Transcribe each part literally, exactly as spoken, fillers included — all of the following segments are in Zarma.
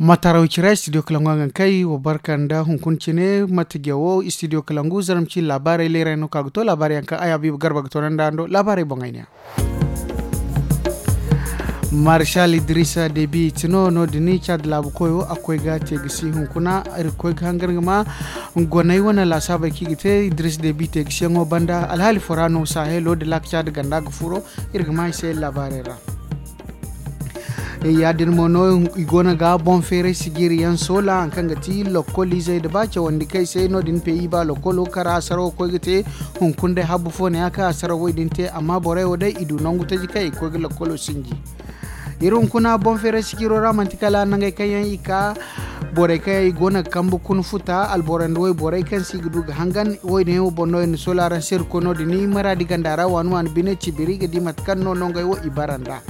Mataraw cira studio kalangu a ga kay wa barka nda hunkuna cine mate jawo studio kalangu zaramci laabaarey leeray no ka ga to laabaarey yaŋ kaŋ ay habiiba garba ga to nanda hando laabaarey boŋ ay ne. Marshal idrisa debi tino no- din caada laabu koyo a koy ga te ga si hunkuna. Iri ga koy ga hangan ga ma goney wane laasaabey kaŋ i ga te idris debi te ga si yaŋo banda alhaali fora no sahelo da laaka caada ganda ga furo. Iri ga ma i se laabaarey ra. Ya- din mo no i go no ga boŋ feeray sijiri yaŋ soola hari kaŋ ga ti lokkol izey nda ba cawandi kaŋ ay se no- din peyi ba lokkolo kara asarawo koy ga te. Hunkuna day habbu fo ne ya kaŋ asarawo wo- din te amma borey wo day i du nangu taji kaŋ i ga koy ga lokkolo sinji. Iri hunkuna boŋ feeray sijiro ra manti kala nangey kaŋ yaŋ i ka borey kaŋ yaŋ i go no ga kambe kuna futa alboro nda wayborey kaŋ se i ga du ga hangan wo- din yaŋ wo boŋ no iri na soola araŋ se iri koy no- din maraadi ganda ra waani waani bine cibiri ga di mate kaŋ no nongey wo i bara nd'a.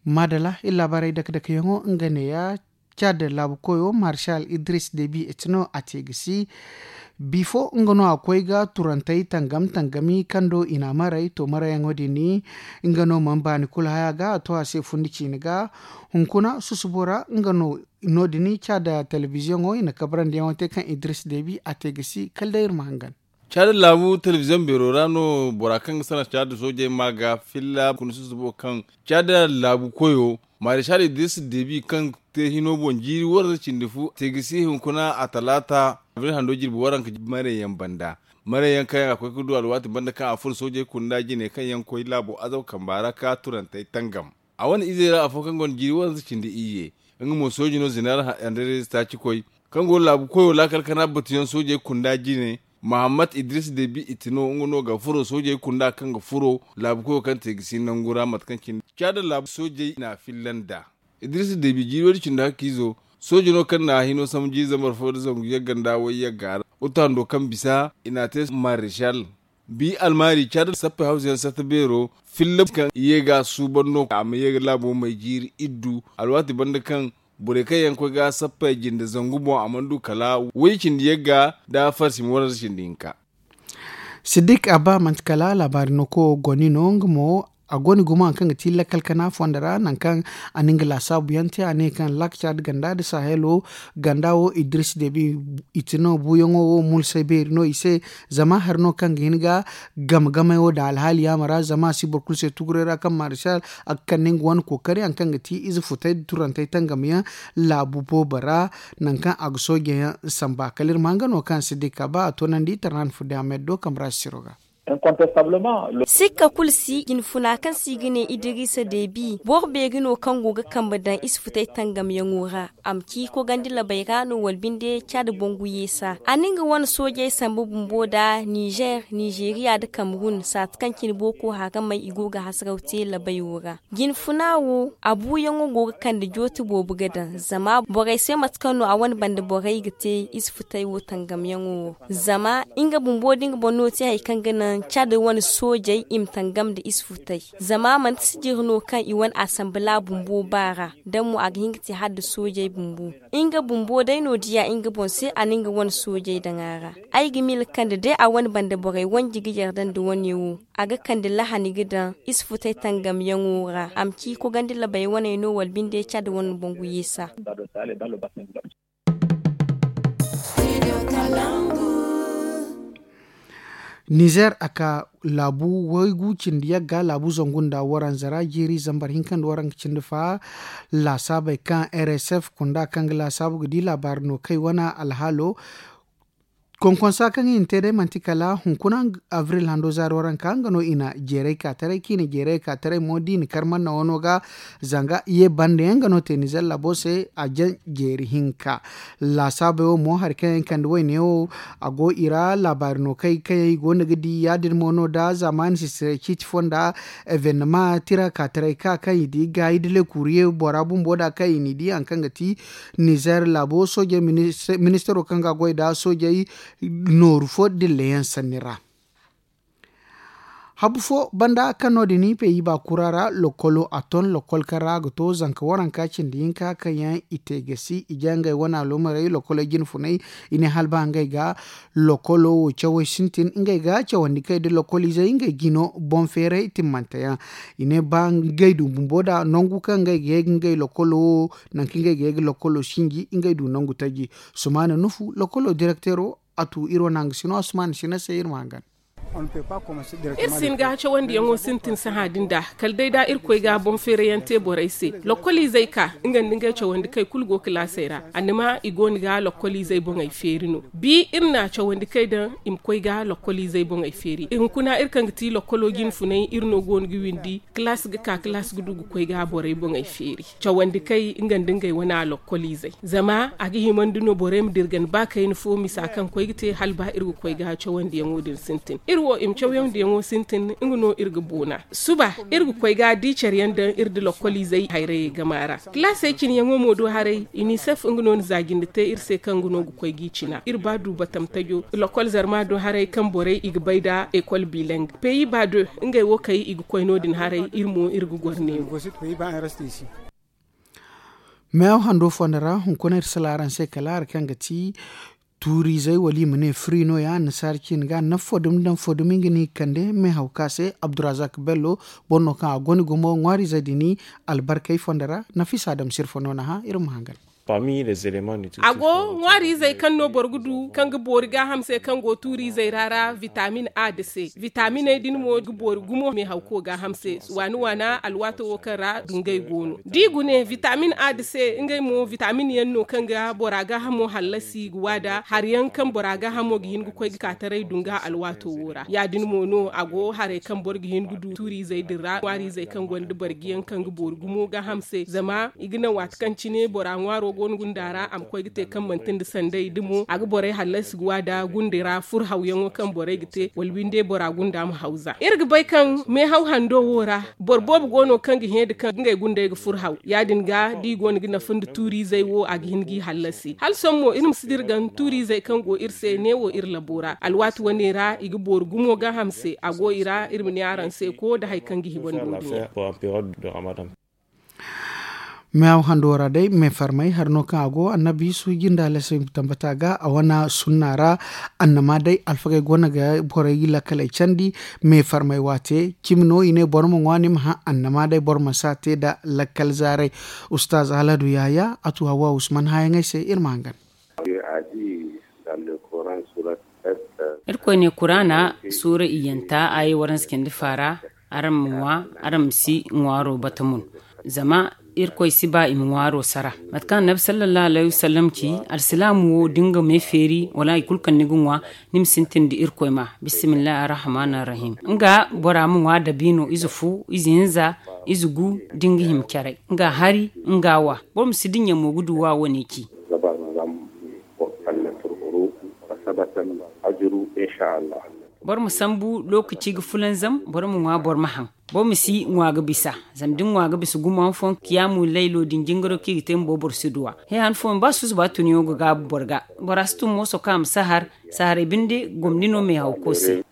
Maadala iri laabaarey dake dake yaŋo nga ne- ya caada laabu koyo marshal idris debi etino a te ga si. Bifo nga no a koy ga turantey tangam tangami kaŋ do i na a maray to marayyaŋo din. Nga no mana baani kulu haya ga a to a se fundi ciine ga. Hunkuna susubo ra nga no- din caada telebiziyoŋo i na kabrandi yaŋo te kaŋ idris debi a te ga si kala day iri ma hangan. Caada laabu telebiziyoŋ beero ra no bora kaŋ ga sanaŋ caada soojey ma ga filla kuna susubo kaŋ caada laabu koyo marishal idris debi kaŋ te hino boŋ jiiri waranza cindi fu te ga si hunkuna a talaata abril hando jirbi waranka marayyaŋ banda. Marayyaŋ kaŋ yaŋ a koy ga du alwaati banda kaŋ a furo soojey kunda jine kaŋ yaŋ koy laabo azaw kamba ra ka turantey tangam. A wane izey ra afo kaŋ gonda jiiri waranza cindi iyye nga mo sooji no zeneral andres taaci koy kaŋ go laabu koyo laakal kana batuyaŋ soojey kunda jine. Mahammad idris debi itino nga no ga furo soojey kunda kaŋ ga furo laabu koyo kaŋ te ga si nangu ra mate kaŋ cine caada laabu soojey na filla nd'a. Idris debi jiiro din cindi hakkiizo sooji no kaŋ na hino sambu jiiri zambar fo nda zangu yagga nda way yagga ra. Uta hando kaŋ bisa i na a te marishal. Bi almaari caada sappey hawza yaŋ satta beero filla kaŋ i ye ga a suuban no a ma ye ga laabo may jiiri iddu alwaati banda kaŋ borey kaŋ yaŋ koy ga sappey jinde zangu boŋ a mana du kala way cindi yagga nda farsi ma waranza cindi hinka. Siddik abba manti kala laabaari no ko goni no nga mo a goni gumo hari kaŋ ga ti lakkal kana fondo ra nangu kaŋ a na nga laasaabu yaŋ te a ne kaŋ laakaca nda ganda nda sahelo ganda wo idris debi. I ti no buuyaŋo wo mulsay beeri no i se. Zama hari no kaŋ ga hin ga game game wo daŋ alhaali yaama ra zama a si boro kulu se tuguray ra kaŋ marshal a ga kande nga wane kookari hari kaŋ ga ti ize futay nda turantey tangam yaŋ laabu boobo ra. Nangu kaŋ a ga soojey yaŋ samba kala iri ma nga no kaŋ si di ka ba a toonandi tarnan fudde amed do kambe ra siro ga. Sikka kulu si jinfuna kaŋ se i ga ne idirisa debi boro beeri no kaŋ go ga kambe daŋ isfutey tangamyaŋo ra. A ma ci kogandi labey ra no wala binde caadi bangu yeesa a na nga wane soojey sambu bumbo nda nizer nizeriya nda kamerun saati kaŋ cine booko haramey i go ga hasaraw te labey wo ra. Jinfuna wo a buuyaŋo go ga kande jooti boobo ga daŋ zama borey se mate kaŋ no a wane banda borey ga te isfutey wo tangamyaŋo wo. Zama nga bumbo da nga boŋ no te hari kaŋ ga naŋ cadi wane soojey i ma tangam nda isfutey. Zama manti sijiri no kaŋ i wane asambila bumbo ba ra da mo a ga hin ga te hala nda soojey bumbo. Nga bumbo day no diya nga boŋ se a na nga wane soojey daŋ a ra. Ay ga miila kaŋ da day a wane banda borey wanji ga yarda nda wane wo a ga kande lahani ga daŋ isfutey tangamyaŋo ra a ma ci kogandi labey waney no wala binde cadi wane bangu yeesa. Nizer a ka laabu waygu cindi yagga laabu zangu nda waranza ra jiiri zambar hinka nda waranka cindi fa. Laasaabey kaŋ rsf kunda kaŋ ga laasaabu ga di laabaari no kay wane alhaalo. Konkonsa kaŋ i na te day manti kala hunkuna abril hando zaari waranka nga no i na jeeray ka taray kaŋ i na jeeray ka taray mo da i na kar manna wano ga. Zanga ye banda yaŋ ga no te nizer laabo se a jaŋ jeeri hinka. Laasaabey wo mo hari kaŋ yaŋ kande wayne wo a go i ra laabaari no kay kaŋ yaŋ i go no ga di ya- din mo no da zaamaani sisirey ciiti fonda. Evenema tira ka taray ka kaŋ i di gaayi da lekuriye bora bumbo da kaŋ i n'i di hari kaŋ ga ti nizer laabo soojey ministaro kaŋ ga a goy da soojey nooru fo dilleyaŋ sanni ra. Habu fo banda kaŋ no- din peyi ba kura ra lokkolo a ton lokkol kaŋ ra a ga to zanka waranka cindi hinka kaŋ yaŋ i te gasi i ja ngey wane aloomarey lokkoley jine funay. I ne hala ba ngey ga lokkolo wo cawey sintin ngey ga cawandi kay nda lokkoliizey ngey ga i no boŋ feeray timmante yaŋ. I ne ba ngey du bumbo nda nangu kaŋ ngey ga ye ga ngey lokkolo wo nangu kaŋ ngey ga ye ga lokkolo sinji ngey du nangu taji. Sumaana nufu lokkolo direkteero a tu iri wane hangasino a sumaana sina se iri ma hangan. Iri si hin ga cawandiyaŋo sintin sahã din da kala day da irkoy ga boŋ feerayaŋ te borey se. Lokkoliizey ka nga nda ngey cawandi kay kulu go kilaasey ra. Annima i go no ga lokkoliizey boŋey feeri no. Bi iri na cawandi kay daŋ i ma koy ga lokkoliizey boŋey feeri hunkuna iri kaŋ ga ti lokkolo jine funay iri no go no ga windi. Kilaas ga ka kilaas ga du ga koy ga borey boŋey feeri. Cawandi kay nga nda ngey wane a lokkoliizey zama a ga himandi no borey ma dirgan ba kayna fo misa kaŋ koy ga te hala ba iri ga koy ga cawandiyaŋo din sintin iri wo i ma cawyandiyaŋo sintin nga no iri ga boona. Suba iri ga koy ga di care yaŋ daŋ iri nda lokkoliizey hayrayey gama ra. Kilaasey cine yaŋo mo do haray inisef nga no na za jinde te iri se kaŋ nga no ga koy g'i cina iri ba du batam tajo lokkol zarma do haray kaŋ borey i ga bay nda ekol biilaŋ. Peyi ba do ngey wo kay i ga koy no- din haray iri mo iri ga goro neewo. Meehaw hando fondo ra hunkuna iri sala araŋ se kala hari kaŋ ga ti tuuriizey wala i ma ne firi no- ya annasaara ciine ga nafa fo dumi daŋ fo dumi nga no i ga kande meehaw ka se abdurazak bello. Boro no kaŋ a goni gumo ŋwaariizey din albarkey fondo ra. Nafiisa dam sirfa no na hã iri ma hangan. A go ŋwaariizey kaŋ no boro ga du kaŋ ga boori gaaham se kaŋ go tuuriizey ra ra vitamin a nda se. Vitaminey din mo ga boori gumo meehawko gaaham se waana waana alwaato wo kaŋ ra dungay go no da i gune vitamin a nda se ngey mo vitamin yaŋ no kaŋ ga bora gaahamo hallasi ga waada hari yaŋ kaŋ bora gaahamo ga hin ga koy ga ka taray dunga alwaato wo ra ya- din mo no a go haray kaŋ boro ga hin ga du tuuriizey din ra ŋwaariizey kaŋ gonda barji yaŋ kaŋ ga boori gumo gaaham se zama i ga naŋ waati kaŋ cine bora ŋwaaro go no gunda ra a ma koy ga te kaŋ manti nda sanday da mo a ga borey hallasi ga waada gundey ra furhawyaŋo kaŋ borey ga te wala windey bora gunda ma hawza iri ga bay kaŋ meehaw hando wo ra boro boobo go no kaŋ ga hẽ nda kaŋ ngey gundey ga furhaw ya- din ga da i go no ga nafa nda tuuriizey wo a ga hin g'i hallasi hala sohõ mo iri ma si dirgan tuuriizey kaŋ go iri se neewo iri labo ra alwaati wane ra i ga boori gumo gaaham se a go i ra iri ma ne araŋ se ko nda hari kaŋ ga hibandi wo- din yaŋ. Meehaw hando ra day meefarmay hari no kaŋ a go annabi isu jinda lasay tambata ga a wane sunna ra. Annama day alfagey go no ga borey lakkaley candi. Meefarmay waate cimi no i ne boro ma ŋwa ni ma hã annama day boro ma si a te nda lakkal zaaray. Ustaaz haladu yahaya a tu hawa usman hayaŋey se iri ma hangan. Irkoy ne kuraana suura iyyanta aayey waranza cindi faara. Araŋ ma ŋwa araŋ ma si ŋwaaro bata mun. Zama irkoy si ba i ma ŋwaaro sara. Mate kaŋ annabi sallallahu alayhi wasallam ci, alsilaamu wo da nga me feeri wala hari kulu kaŋ ni ga ŋwa, ni ma sintin da irkoy ma. Bismillahi arrahmani arrahim. Nga bora ma ŋwa dabiino ize fu, ize hinza, ize gu, da nga hima caray, nga hari, nga wa. Boro ma si dinya mo ga du wa wane ci. Boro ma sambu lokaci ga fulanzam, boro ma ŋwa boro ma haŋ. Boro ma si ŋwa ga bisa. Zama da ni ŋwa ga bisa gumo han fooyaŋ kiyaamu laylo din jingaro kaŋ i ga te bumbo boro si duw'a. He han fooyaŋ ba susuba tuniyaŋo ga gaabu boro ga. Bora si tun mooso kaŋ a ma sahar. Saharay binde gomni no meehawko se.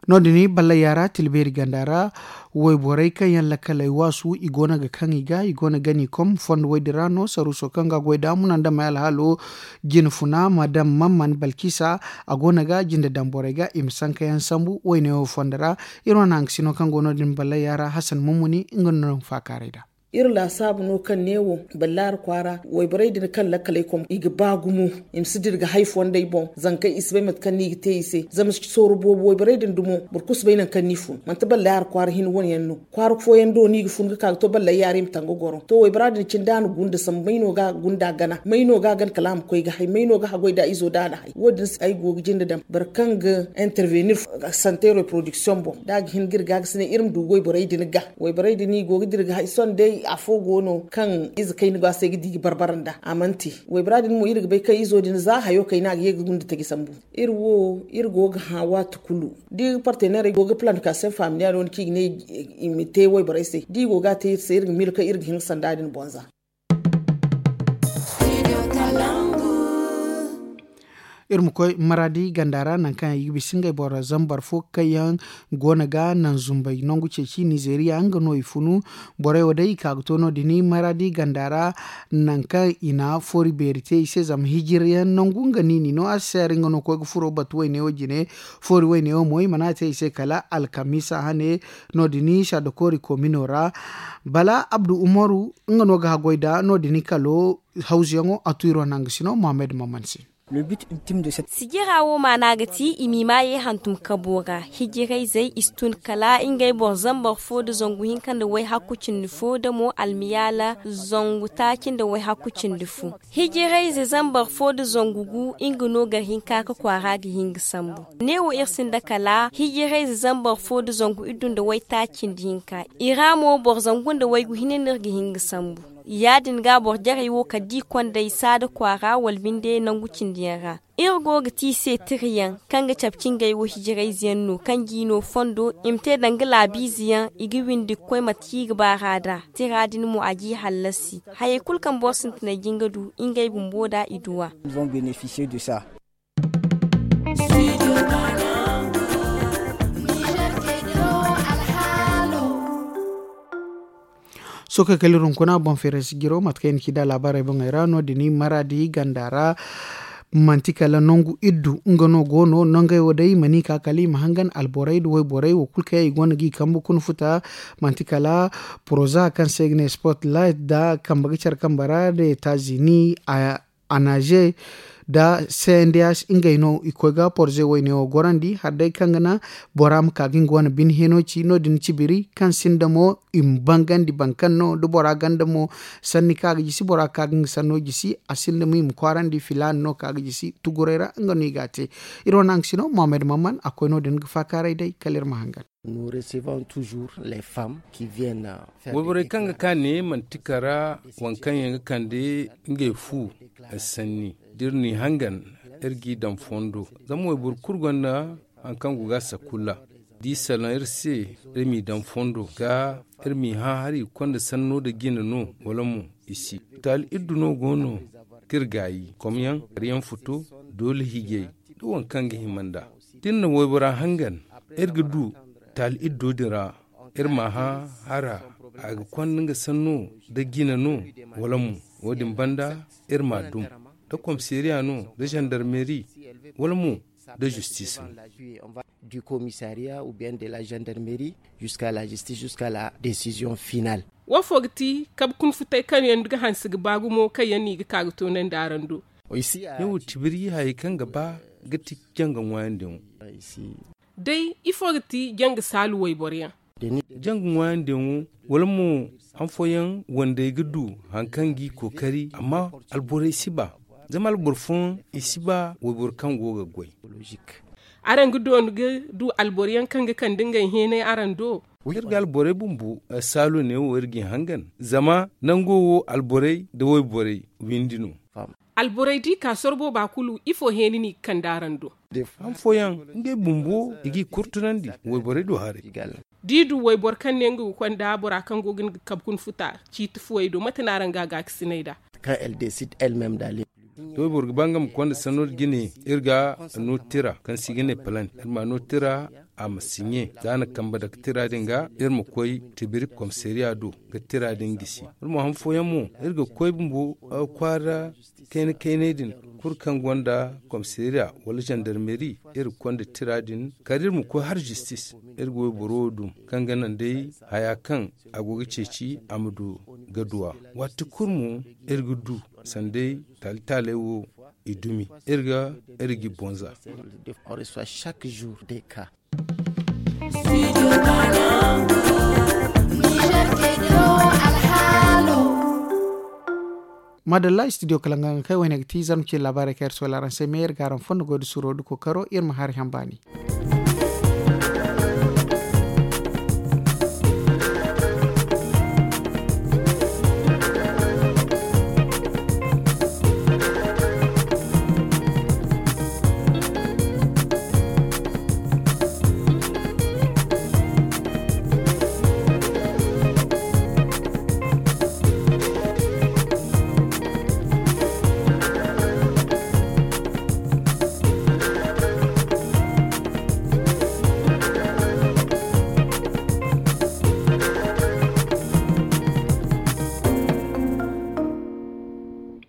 No- din ballay yaara tilbeeri ganda ra. Wayborey kaŋ yaŋ lakkaley waasu i go no ga kaŋ i ga i go no ga gani kom fondo woy din ra no saruuso kaŋ ga goy da munandamey alhaalo. Jine funa madam mamman balkisa a go no ga jinde daŋ borey ga i ma sanka yaŋ sambu wayne wo fondo ra. Iri wane hangasino kaŋ go no- din ballay yaara hasan mummuni nga no na faakaaray nd'a. Iri laasaabu no kaŋ ne wo ballaari kwaara wayborey din kaŋ lakkaley kom i ga ba gumo. I ma si dira ga hay fondey boŋ zankey i si bay mate kaŋ no i ga te i se zama sooro boobo wayborey din dumo boro kulu si bay nangu kaŋ no i fun manti ballaari kwaara hin wane yaŋ no. Kwaara fooyaŋ do no i ga fun ga ka ga to ballaari yaara i ma tanga goro to waybora din cine da a na gunda sambu may no ga a gunda gana may no ga a gana kala a ma koy ga hay may no ga haggoy da izo da a na hay wo- din se ay go ga jinde daŋ boro kaŋ ga intervenir sante reproduction boŋ da a ga hin ga iri ga ga si ne iri ma du wayborey din ga. Wayborey din i go ga dira ga hay sohõ day afo go no kaŋ ize kayna go a se ga di ga barbara nd'a a mana te. Waybora din mo iri ga bay kaŋ izo din za hayo kayna a ga ye ga gunda taji sambu. Iri wo iri go ga hã waati kulu da iri partenairey go ga plantication familial no kaŋ i ga ne i ma te wayborey se da i go ga a te iri se iri ga miila kaŋ iri ga hin ga sanda din boŋ za. Iri ma koy maradi ganda ra nangu kaŋ i ga bisa ngey boro zambar fo kaŋ yaŋ go no ga naŋ zumbay nangu ceeci nizeeriya nga no i funu. Borey wo day i ka ga to no- din maradi ganda ra, nangu kaŋ i na foori beeri te i se zama hijiryaŋ nangu nga niini no a si se hari nga no koy ga furo batu wayne wo jine. Foori wayne wo mo i mana te i se kala alkamiisa hane. No- din saada koori komino ra bala abdu umaru nga no ga haggoy nda no- din kalo. Hawzuyaŋo a tu iri wane hangasino mohammed maman se. Sijira wo maana ga ti i m'i maayey hantum kabo ra. Hijirayzey i si tun kala ngey boro zambar fo nda zangu hinka nda wayhakku cindi fo nda mo almiyaala zangu taaci nda wayhakku cindi fo. Hijirayze zambar fo nda zangu gu nga no gar hinka ka kwaara ga hin ga sambu. Neewo iri sinda kala hijirayze zambar fo nda zangu iddu nda waytaaci cindi hinka. I ra mo boro zangu nda waygu hinne no iri ga hin ga sambu. Ya- din ga boro jarey wo kala da i kond'ey saada kwaara wala binde nangu cindi yaŋ ra. Iri go ga ti i se tirayaŋ kaŋ ga cabe cingey wo hijirayzeyaŋ no kaŋ g'i no fondo i ma te danga laabiizeyaŋ i ga windi ga koy mate kaŋ i ga baar'a nd'a. Tira din mo a g'i hallasi. Hayey kulu kaŋ boro sintinay ga hin ga du ngey bumbo nd'a i du a. Sookey kala iri hunkuna boŋ feeray si jiro mate kaŋ i na ci nd'a laabaarey boŋey ra no- din maraadi ganda ra. Manti kala nangu iddu nga no go no nangey wo day i mana i ka kala i ma hangan alborey nda wayborey wo kulu kaŋ yaŋ i gonda g'i kambe kuna futa. Manti kala poroza kaŋ se i ga ne sport light nda kambe ga care kambe ra nda etazini. Anaze nda cnds ngey no i koy ga porze wayne wo gorandi hala day kaŋ ga naŋ bora ma ka ga nga wane bine heno ci no- din cibiri kaŋ sinda mo i ma bangandi boro kaŋ no da bora ganda mo. Sanni kaŋ a ga jisi bora ga ka ga nga sanno jisi a sinda mo i ma kwaarandi filaana no kaŋ a ga jisi tuguray ra nga no i ga a te. Iri wane haŋ ga sino mohammed mamman a koy no- din ga faakaaray day kala iri ma hangan. Wayborey kaŋ ga ka ne manti kara waŋ kaŋ yaŋ ga kande ngey fu. Sanni da iri n'i hangan iri g'i daŋ fondo. Zama wayboro kulu gonda haŋ kaŋ go ga a sakulla da i salaŋ iri se iri m'i daŋ fondo ga iri m'i hã hari i ga konda sanno nda jina no wala mo i si. Taali iddu no go no kaŋ iri gaayi komyaŋ hari yaŋ futo doole hijay da waŋ kaŋ ga hima nd'a da iri na waybora hangan iri ga du taali iddo din ra. Iri m'a hã hara a ga konda nga sanno nda jina no wala mo wo- din banda iri m'a dum da komisariya no nda zandarmeri wala mo nda zistis no. Du komisariya ou bien de la zandarmeri jusqu'à la zistis jusqu'à la desizion final. Wo fo ga ti kabe kuna futay kaŋ yaŋ ga hanse ga ba gumo kaŋ yaŋ no i ga ka ga toonandi araŋ do? Yawo tibiri hayey kaŋ ga ba ga ti janga ŋwaayandi yaŋo. Day ifo ga ti janga saalu wayboro yaŋ? Janga ŋwaayandi yaŋo wala mo han fooyaŋ wandey ga du hari kaŋ g'i kookari amma alborey si ba. Zama alboro fooyaŋ i si ba wayboro kaŋ go ga goy. Araŋ ga doonu ga du alboro yaŋ kaŋ ga kande ngey heenay araŋ do? Iri ga alborey bumbo saalu neewo iri g'i hangan zama nango wo alborey nda wayborey windi no. Alborey d'i ka sorro booba kulu ifo heeni no i ga kande araŋ do? Han fooyaŋ ngey bumbo i g'i kurtunandi wayborey do haray. D'i du wayboro kaŋ ne nga ga konda bora kaŋ go ga nga kabe kuna futa ciiti fuwey do mate no araŋ ga a gaakasinay nd'a? Da wayboro ga ba nga ma konda sanno nda jine iri ga no tira kaŋ se i ga ne palant iri ma no tira a ma siɲe za a na kambe dake tira din ga iri ma koy tibiri komisariya do ga tira din gisi. Iri mo han fooyaŋ mo iri ga koy bumbo kwaara kayna kaynay din kulu kaŋ gonda komisariya wala zandarmeri iri ga konda tira din kala iri ma koy har zistis. Iri ga wayboro wo dum kaŋ ga naŋ day haya kaŋ a go ga ceeci a ma du ga du a waati kulu mo iri ga du sanday taali taaley wo i dumi iri ga iri g'i bonza. Madalla studio kala nga kay wayne ga ti zarma ce laabaarey kaŋ iri sohõ araŋ se me iri ga araŋ fondo goy da suuro da kookaro iri ma hari haŋ baani.